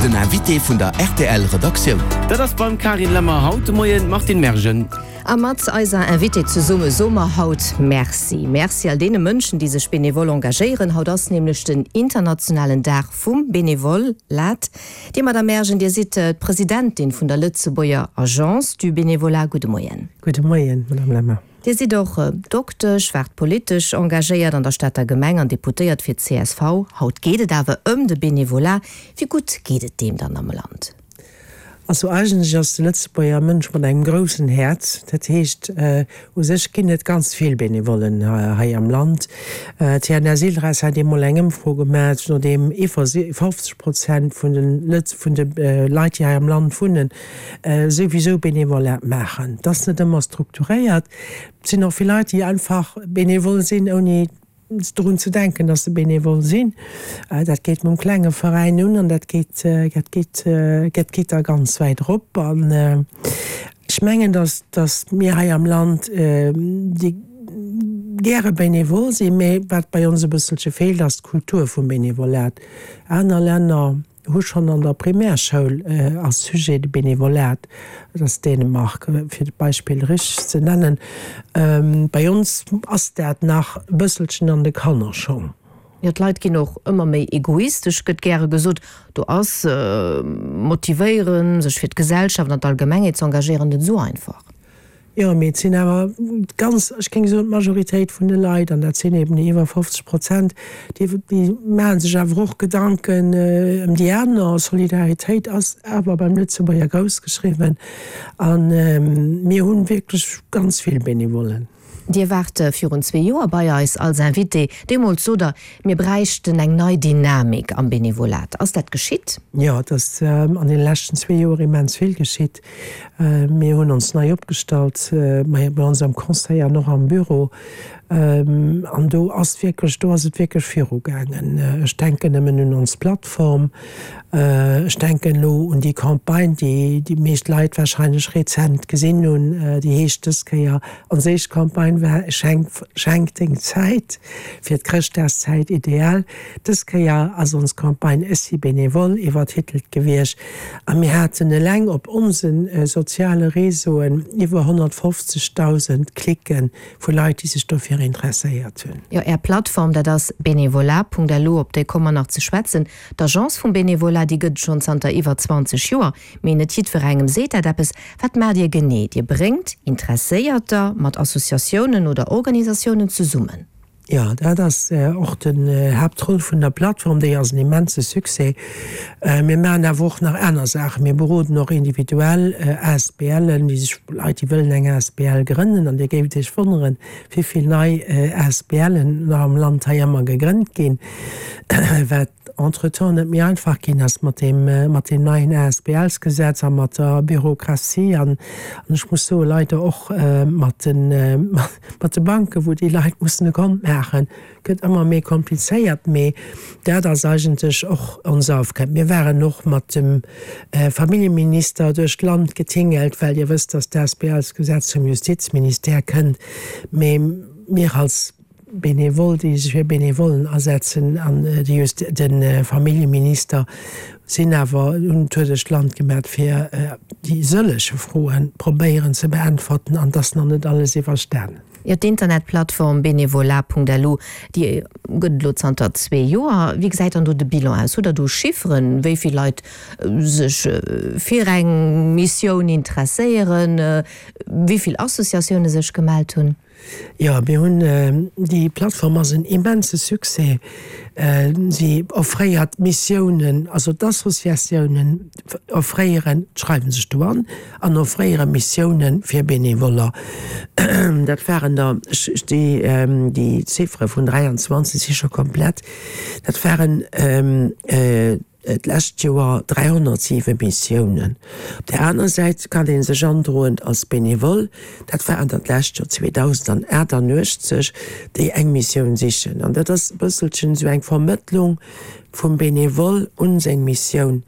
Den Invité vun der rtl Redaktioun. Dat ass beim Carine Lemmer haut de Moien d'Martine Mergen. A mat eiser Invitée zesumme soe mer haut Merci. Merci all deene Mënschen, déi sech benevol engagéieren. Haut ass nämlech den internationalen Dag vum Benevolat. Dir, Madame Mergen, Dir sidd d'Presidentin vun der Lëtzebuerger Agence du Bénévolat. Gudde Moien. Gudde Moien, Madame Lemmer. Dir sidd och Doktesch, waart politesch engagéiert an der Stater Gemeng an Deputéiert fir d'CSV. Haut geet et awer ëm de Benevolat. Wéi gutt geet et deem dann am Land? Also eigentlech ass de Lëtzebuerger Mënsch mat engem groussen Häerz. Dat heescht, u sech ginn et ganz vill Benevollen hei am Land. D'TNS Ilres hat eemol eng Ëmfro gemaach, no deem iwwer 50 Prozent vun de Leit, déi hei am Land wunnen, souwisou Benevolat maachen. Et ass net ëmmer strukturéiert. Et sinn och vill Leit, déi einfach benevol sinn, ouni drun ze denken, dass se benevol sinn. Dat geet mam klenge Veräin un an dat geet, dat geet, dat geet da ganz wäit erop. An ech mengen, dass, dass mir hei am Land déi gäre benevol sinn, mä wat bei ons e bësselche feelt, ass d'Kultur vum Benevolat. Aner Länner hu schonn an der Primärschoul als Sujet de Benevolat, dat ass Dänemark, fir d'Beispill richteg ze nennen. Bei ons ass dat nach e bësselchen an de Kannerschong. Jo, d'Leit ginn och ëmmer méi egoistesch, gëtt gäre gesot. Do ass motivéieren, sech fir d'Gesellschaft an d'Allgemengheet z'engagéieren, net esou einfach. Jo, mee et sinn awer ganz, ech géing soen, d'Majoritéit vun de Leit, an dat sinn eben déi iwwer 50 Prozent, déi maache sech awer och Gedanken ëm déi aner. Solidaritéit ass awer beim Lëtzebuerger grouss geschriwwen a mir hu wierklech ganz vill Benevollen. Dir waart virun zwee Joer bei eis als Invité. Deemools sot Der, mir bräichten eng nei Dynamik am Benevolat. Ass dat geschitt? Jo, et ass an deene leschten zwee Joer immens vill geschitt. Mir hunn ons nei opgestallt bei ons am Conseil an och am Büro. An do ass wierklech, do ass et wierklech virugaangen. Ech denken nëmmen un ons Plattform. Ech denken elo un déi Campagne, déi déi meescht Leit wahrscheinlech rezent gesinn hunn. Déi heescht dës Kéier, ons éischt Campagne war Schenk, schenk deng Zäit, fir d'Chrëschtdagszäit ideal. Dës Kéier ass ons Campagne Ech si Benevole iwwertitelt gewiescht. A mir haten eleng op onse soziale Réseauen iwwer 150.000 Klicke vu Leit, déi sech dofir interesséiert hunn. Jo, Är Plattform, dat ass benevolat.lu, op déi komme mer nach ze schwätzen. D'Agence vum Benevolat, déi gëtt et schonn zanter iwwer 20 Joer, mee net jiddwerengem seet dat eppes. Wat maacht Dir genee? Dir bréngt Interesséierter mat Associatiounen oder Organisatiounen zesummen? Jo, dat ass och den Haaptroll vun der Plattform. Déi ass en immense Succès. Mir maachen awer och nach aner Saachen. Mir beroden och individuell ASBLen, déi sech, Leit, déi wëllen eng asbl grënnen. An Dir géift Iech wonneren, wéi vill nei ASBLen nach am Land hei ëmmer gegrënnt ginn, wat entretemps net méi einfach ginn ass mat deem, mat deem neien ASBLsgesetz a mat der Bürokratie an, an ech muss soen, leider och mat den, mat de Banken, wou déi Leit mussen e Kont maachen, gëtt ëmmer méi komplizéiert. Mee dat ass eigentlech och ons Aufgab. Mir waren och mat dem Familljeminister duerch d'Land getingelt, well Dir wësst, dass d'ASBLsgesetz vum Justizministère kënnt. Mee mir als Benevol, déi sech fir Benevollen asetzen, an de Familljeminister sinn awer, hunn en Tour duerch d'Land gemat, fir déi sëllege Froe probéieren ze beäntwerten, an et ass nach net alles iwwerstanen. Jo, d'Internetplattform benevolat.lu, déi gëtt et elo zanter zwee Joer. Wéi gesäit dann do de Bilan aus? Hutt Der do Chifferen, wéi vill Leit sech fir eng Missioun interesséieren, wéi vill Associatioune sech gemellt hunn? Jo, mir hunn, déi Plattform ass en immense Succès. Si offréiert Missiounen, also d'Associatiounen offréieren, schreiwe sech do an an offréiere Missioune fir Benevoller. Dat waren der, ech, déi, déi Ziffere vun 23 si scho komplett, dat waren d'lescht Joer 307 Missiounen. Op där aner Säit kann ee sech androen als Benevole, dat waren der d'lescht Joer 2.088, déi eng Missioun sichen. An dat ass e bësselchen esou eng Vermëttlung vum Benevole un seng Missioun.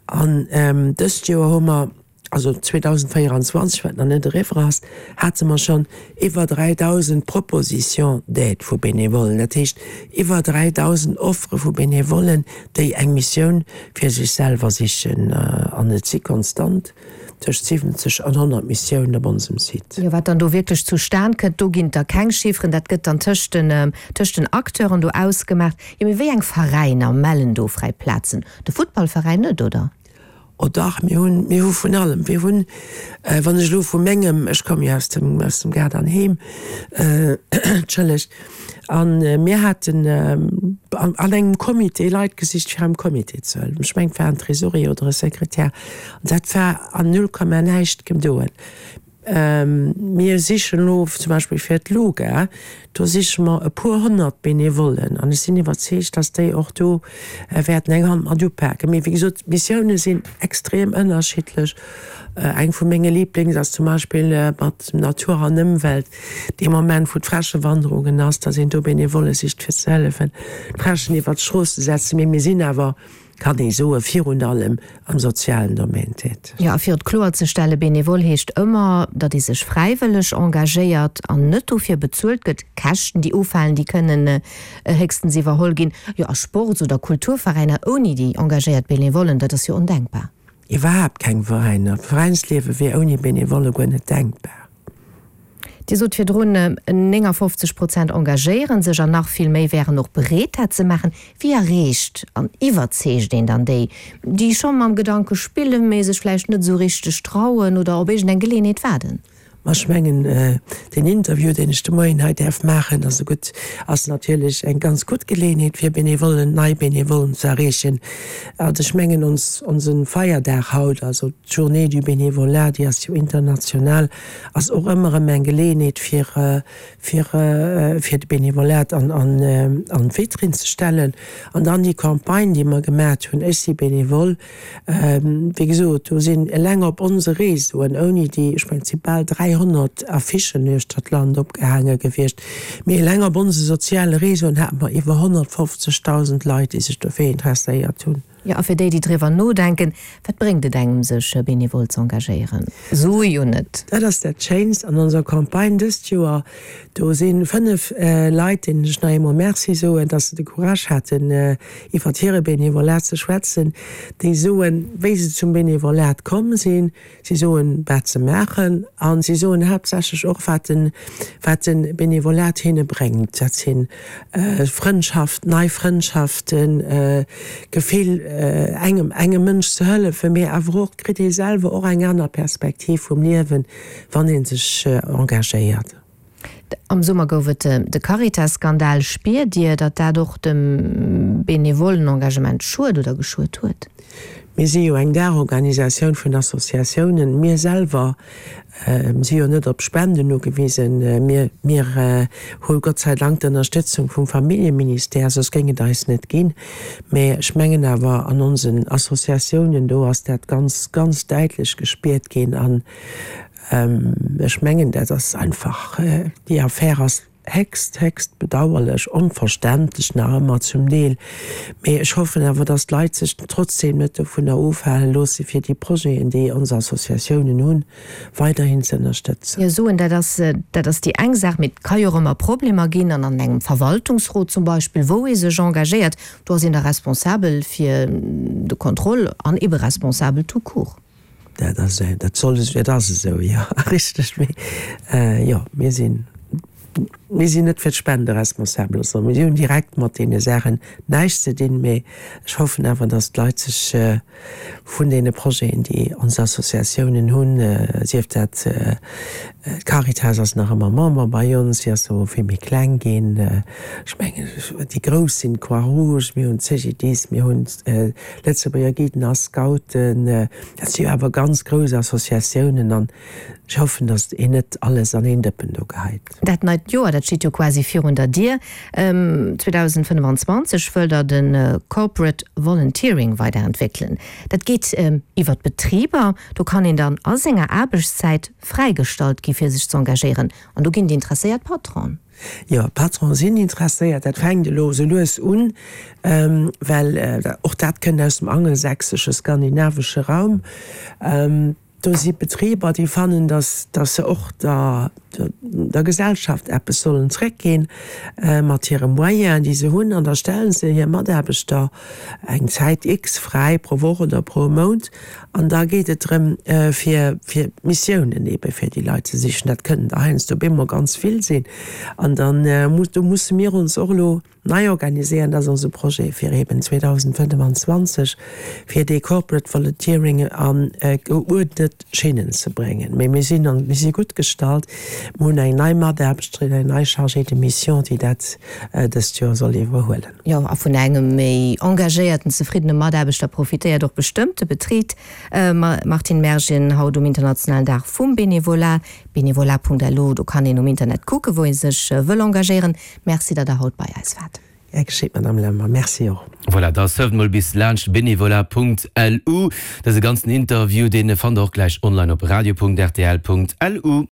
An dëst Joer hu mer. also 2024, wat nach net eriwwer ass, hate mer schonn iwwer 3.000 Propositions d'aide vu Benevollen, dat heescht iwwer 3.000 Offere vu Benevollen, déi eng Missioun fir sech selwer sichen. An et si konstant tëscht 70 an 100 Missiounen op onsem Site. Jo, wat dann do wierklech zustan kënnt, do ginn et da keng Chifferen, dat gëtt dann tëscht den, tëscht den Acteuren do ausgemaach. Jo, mee wéi eng Veräiner mellen do fräi Plazen? De Futtballveräin net, oder? Oh dach, mir hunn, mir hu vun allem. Mir hunn, wann ech elo vu mengem, ech komme jo aus dem, aus dem Gaart an Heem, entschëllegt, a mir haten an engem Comité Leit gesicht, fir am Comité ze hëllefen. Ech mengen, et war en Trésorier oder e Sekretär. An dat war an null Komma näischt gedoen. Mir sichen elo zum Beispill fir d'LUGA, do siche mer e puer 100 Benevollen an ech sinn iwwerzeegt, dass déi och do wäerten eng Hand mat upaken. Mee wéi gesot, d'Missioune sinn extrem ënnerschiddlech. Eng vu menge Liiblings ass zum Beispill mat Natur an Ëmwelt, dee Moment wou d'Fräschewanderungen ass, dass een do Benevolle sicht fir ze hëllefen d'Fräschen iwwert d'Strooss ze setzen. Mee mir sinn awer kann ee soen, virun allem am sozialen Domaine täteg. Jo, a fir et kloerzestellen, Benevole heescht ëmmer, datt ee sech fräiwëlleg engagéiert an net dofir bezuelt gëtt. Käschten, déi ufalen, déi kënnen héchstens iwwerholl ginn. Jo, a Sports oder Kulturveräiner ouni déi engagéiert Benevollen, dat ass jo ondenkbar. Iwwerhaapt keng Veräiner. D'Veräinsliewe wier ouni Benevolle guer net denkbar. Dir sot virdrun, 59 Prozent engagéiere sech an nach vill méi wären och bereet, dat ze maachen. Wéi erreecht an iwwerzeegt een dann déi, déi scho mam Gedanke spillen, mee sech vläicht net esou richteg trauen oder op iergendeng Geleeënheet waarden? Ma ech mengen, deen Interview, deen ech de Moien hei däerf maachen, ass e gutt, ass natierlech eng ganz gutt Geleeënheet, fir Benevollen, nei Benevollen ze erreechen. Also ech mengen, ons, onse Feierdag haut, also d'Journée du bénévolat, déi ass jo international, ass och ëmmer erëm eng Geleeënheet fir fir fir de Benevolat an an an d'Vitrinn ze stellen. An dann déi Campagne, déi mer gemat hunn, Ech si Benevole, wéi gesot, do sinn eleng op onse Réseauen, ouni déi, ech mengen et si bal 300 Affichen uechter d'Land opgehaange gewiescht, mee eleng op onse soziale Réseauen hate mer iwwer 150.000 Leit, déi sech dofir interesséiert hunn. Jo, a fir déi, déi driwwer nodenken, wat bréngt et engem, sech benevol z'engagéieren? Sue jo net. Dat ass dat Schéinst an onser Campagne dëst Joer. Do si 5 Leit, deenen ech nach eemol Merci soen, dass se de Courage haten, iwwert hire Benevolat ze schwätzen, déi soen, wéi se zum Benevolat komm sinn, Si soen, wat se maachen, a si soen haaptsächlech och, wat de, wat de Benevolat hinne bréngt. Dat si Frëndschaft, nei Frëndschaften, d'Gefill, engem, engem Mënsch ze hëllefen, mee awer och, kritt ee selwer och eng aner Perspektiv vum Liewen, wann ee sech engagéiert. Am Summer gouf et de Caritas-Skandal. Spiert Dir, datt dat och dem benevollen Engagement schued oder geschuet huet? Mir si jo eng Daachorganisatioun vun Associatiounen. Mir selwer si jo net op Spenden ugewisen. Mir, mir hu Gott sei Dank d'Ënnerstëtzung vum Familljeministère, soss géing et eis net ginn. Mä ech mengen awer, an onsen Associatiounen do ass dat ganz, ganz däitlech gespiert ginn. An Ech mengen, dat ass einfach, déi Affär ass héchst, héchst bedauerlech, onverständlech nach ëmmer zum Deel. Mee ech hoffen awer, dass d'Leit sech trotzdeem net dovunner ofhale loosse fir déi Projeten, déi ons Associatiounen hunn, weiderhin ze ënnerstëtzen. Jo, soen, dat ass, dat ass déi eng Saach. Mee et ka jo och ëmmer Problemer ginn. An an engem Verwaltungsrot zum Beispill, wou ee sech engagéiert, do ass een da responsabel fir de Contrôle an ebe responsabel tout court. Dat ass, dat soll esou, dat ass esou, jo, richteg. Mee jo, mir sinn, mir sinn net fir d'Spende responsabel, also mir hunn direkt mat deene Saachen näischt ze dinn. Mee ech hoffen awer, datt d'Leit sech vun deene Projeten, déi ons Associatiounen hunn, sief dat d'Caritas ass nach ëmmer Member bei ons, si ass elo vill méi kleng ginn, ech mengen déi grouss sinn d'Croix-Rouge, mir hunn d'CGDIS, mir hunn Lëtzebuerger Guiden a Scouten, dat si jo awer ganz grouss Associatiounen an ech hoffen, datt een net alles an een Dëppen do geheit. Dat neit Joer, dat steet jo quasi virun der Dier. 2025 wëllt Der de Corporate Volunteering weiderentwéckelen. Dat geet iwwer d'Betriber. Do kann een dann a senger Aarbechtszäit fräigestallt gi fir sech z'engagéieren. An do ginn déi interesséiert Patronen. Jo, d'Patronen sinn interesséiert. Dat fänkt elo esou lues un, well och dat kënnt aus dem angelsächsesche, skandinavesche Raum. Do si Betriber, déi fannen, dass dass se och der der Gesellschaft eppes sollen zréckginn mat hire Moyenen, déi se hunn, an da stelle se hir Mataarbechter eng Zäit X fräi pro Woch oder pro Mount an da geet et drëm, fir fir Missiounen eebe fir déi Leit ze sichen. Dat kënnen der heiansdo op eemol ganz vill sinn an dann muss do musse mir ons och elo nei organiséieren. Dat ass onse Projet fir eeben 2025, fir dee Corporate Volunteering a geuerdnet Schinnen ze bréngen. Mee mir sinn an, mir si gutt gestallt. Mir hunn eng nei Mataarbechterin, eng nei Chargée de mission, déi dat dëst Joer soll iwwerhuelen. Jo, a vun engem méi engagéierten, zefriddene Mataarbechter profitéiert och bestëmmt de Betrib. Martine Mergen, haut um internationalen Dag vum Bénévolat, bénévolat.lu, do kann een um Internet kucken, wou ee sech wëll engagéieren. Merci, datt Der haut bei eis waart. Gär geschéet, Madame Lemmer. Merci och. Voilà, da surft mol bis laanscht bénévolat.lu. Dëse ganzen Interview, dee fannt der och gläich online op radio.rtl.lu.